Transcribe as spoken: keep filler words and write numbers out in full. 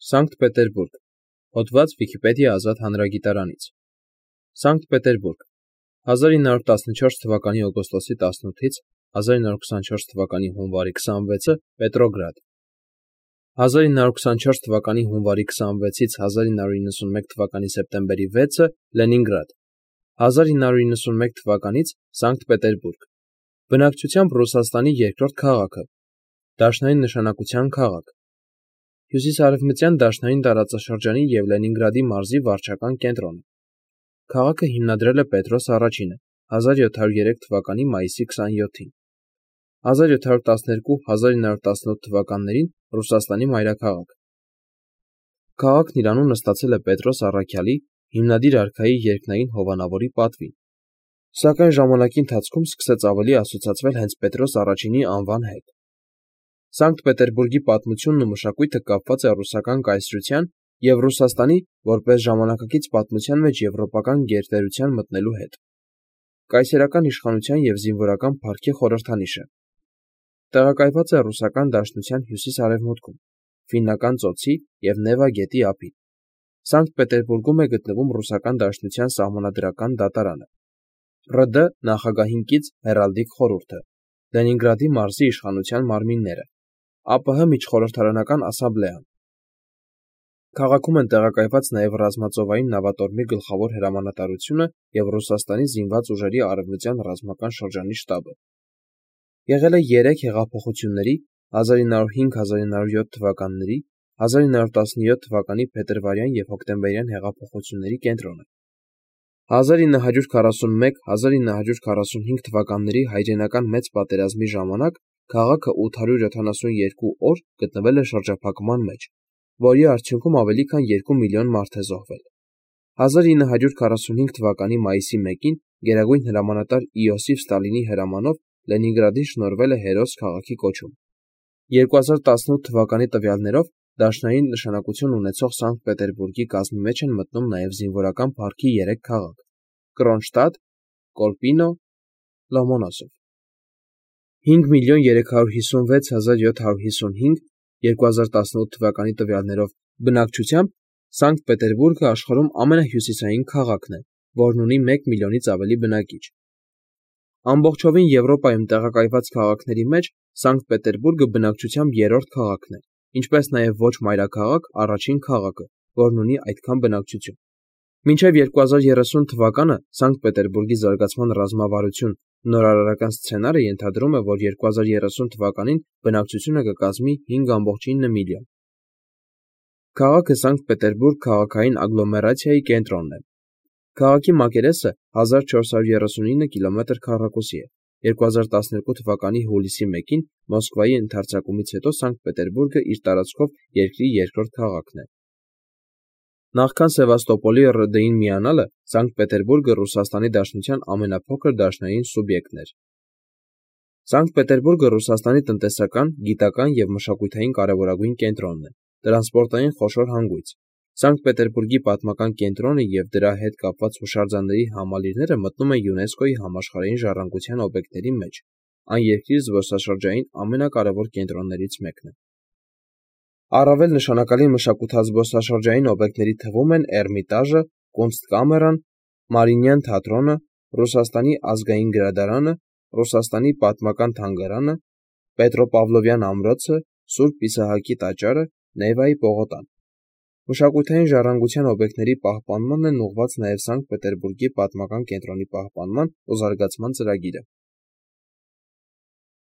Սանկտ Պետերբուրգ, հոդված Վիքիպեդիա ազատ հանրագիտարանից։ Սանկտ Պետերբուրգ, հազար ինը հարյուր տասնչորս թվականի օգոստոսի տասնութից հազար ինը հարյուր քսանչորս թվականի հունվարի քսանվեցը Պետրոգրադ, հազար ինը հարյուր քսանչորս թվականի հունվարի քսանվեցից հազար ինը հարյուր իննսունմեկ թվականի սեպտեմբերի վեցը Լենինգրադ, հազար ինը հարյուր իննսունմեկ թվականից Սանկտ Պետերբուրգ, բնակչությամբ Ռուսաստանի երկրորդ քաղաքը, դաշնային նշանակության քաղաք, հյուսիսարևմտյան դաշնային տարածաշրջանի և Լենինգրադի մարզի վարչական կենտրոնը։ Քաղաքը հիմնադրել է Պետրոս Առաջինը հազար յոթ հարյուր երեք թվականի մայիսի քսանյոթին։ հազար յոթ հարյուր տասներկու - հազար ինը հարյուր տասնութ թվականներին Ռուսաստանի մայրաքաղաք։ Քաղաքն իր անունը ստացել է Պետրոս Առաքյալի հիմնադիր արքայի երկնային հովանավորի պատվին, սակայն ժամանակի ընթացքում սկսեց ավելի ասոցացվել հենց Պետրոս Առաջինի անվան հետ։ Սանկտ Պետերբուրգի պատմությունն ու մշակույթը կապված է ռուսական կայսրության և Ռուսաստանի որպես ժամանակակից պատմության մեջ եվրոպական գերտերության մտնելու հետ։ Կայսերական իշխանության և զինվորական փառքի խորհրդանիշ է։ Տեղակայված է ռուսական դաշնության հյուսիս-արևմուտքում, Ֆիննական ծոցի և Նևա գետի ափին։ Սանկտ Պետերբուրգում է գտնվում ռուսական դաշնության սահմանադրական դատարանը, ՌԴ նախագահին կից հեռալդիկ խորհուրդը, Լենինգրադի մարզի իշխանության մարմինները, ԱՊՀ միջխորհրդարանական ասամբլեան։ Քաղաքում են տեղակայված նաև ռազմածովային նավատորմի գլխավոր հրամանատարությունը և Ռուսաստանի զինված ուժերի արևմտյան ռազմական շրջանի շտաբը։ Եղել է երեք հեղափոխությունների՝ հազար ինը հարյուր հինգ - հազար ինը հարյուր յոթ թվականների, հազար ինը հարյուր տասնյոթ թվականի փետրվարյան և հոկտեմբերյան հեղափոխությունների կենտրոնը։ հազար ինը հարյուր քառասունմեկ - հազար ինը հարյուր քառասունհինգ թվականների հայրենական մեծ պատերազմի ժամանակ քաղաքը ութ հարյուր յոթանասունյոթ օր գտնվել է շրջափակման մեջ, որի արդյունքում ավելի քան երկու միլիոն մարդ է զոհվել։ հազար ինը հարյուր քառասունհինգ թվականի մայիսի մեկին գերագույն հրամանատար Իոսիֆ Ստալինի հրամանով Լենինգրադին շնորհվել է հերոս քաղաքի կոչում։ երկու հազար տասնութ թվականի տվյալներով դաշնային նշանակություն ունեցող Սանկտ Պետերբուրգի կազմի մեջ են մտնում նաև զինվորական փառքի երեք քաղաք՝ Կրոնշտադտ, Կոլպինո, Լոմոնոսով։ հինգ միլիոն երեք հարյուր հիսունվեց հազար յոթ հարյուր հիսունհինգ երկու հազար տասնութ թվականի տվյալներով բնակչությամբ Սանկտ Պետերբուրգը աշխարհում ամենահյուսիսային քաղաքն է, որն ունի մեկ միլիոնից ավելի բնակիչ։ Ամբողջովին Եվրոպայում տեղակայված քաղաքների մեջ Սանկտ Պետերբուրգը բնակչությամբ երրորդ քաղաքն է, ինչպես նաև ոչ մայրաքաղաք առաջին քաղաքը, որն ունի այդքան բնակչություն։ Մինչև երկու հազար երեսուն թվականը Սանկտ Պետերբուրգի զարգացման ռազմավարություն նորարարական սցենարը ենթադրում է, որ երկու հազար երեսուն թվականին բնակչությունը կկազմի հինգ ամբողջ ինը միլիոն։ Քաղաքը Սանկտ Պետերբուրգ քաղաքային ագլոմերացիայի կենտրոնն է։ Քաղաքի մակերեսը հազար չորս հարյուր երեսունինը կիլոմետր քառակուսի է։ երկու հազար տասներկու թվականի հուլիսի մեկին Մոսկվայի ընդարձակումից հետո Սանկտ Պետերբուրգը իր տարածքով երկրի երկրորդ քաղաքն է։ Նախքան Սևաստոպոլի ՌԴ-ին միանալը Սանկտ Պետերբուրգը Ռուսաստանի Դաշնության ամենափոքր դաշնային սուբյեկտն էր։ Սանկտ Պետերբուրգը Ռուսաստանի տնտեսական, գիտական և մշակութային կարևորագույն կենտրոնն է, տրանսպորտային խոշոր հանգույց։ Սանկտ Պետերբուրգի պատմական կենտրոնը և դրա հետ կապված հուշարձանների համալիրները մտնում են ՅՈՒՆԵՍԿՕ-ի համաշխարհային ժառանգության օբյեկտների մեջ, այն երկրի զբոսաշրջային ամենակարևոր կենտրոններից մեկն է։ Առավել նշանակալի մշակութազբոսաշրջային օբյեկտների թվում են Էրմիտաժը, Կունստկամերան, Մարիինյան թատրոնը, Ռուսաստանի ազգային գրադարանը, Ռուսաստանի պատմական թանգարանը, Պետրոպավլովյան ամրոցը, Սուրբ Իսահակի տաճարը, Նևայի պողոտան։ Մշակութային ժառանգության օբյեկտների պահպանմանն են ուղղված նաև Սանկտ Պետերբուրգի պատմական կենտրոնի պահպանման ու զարգացման ծրագիրը։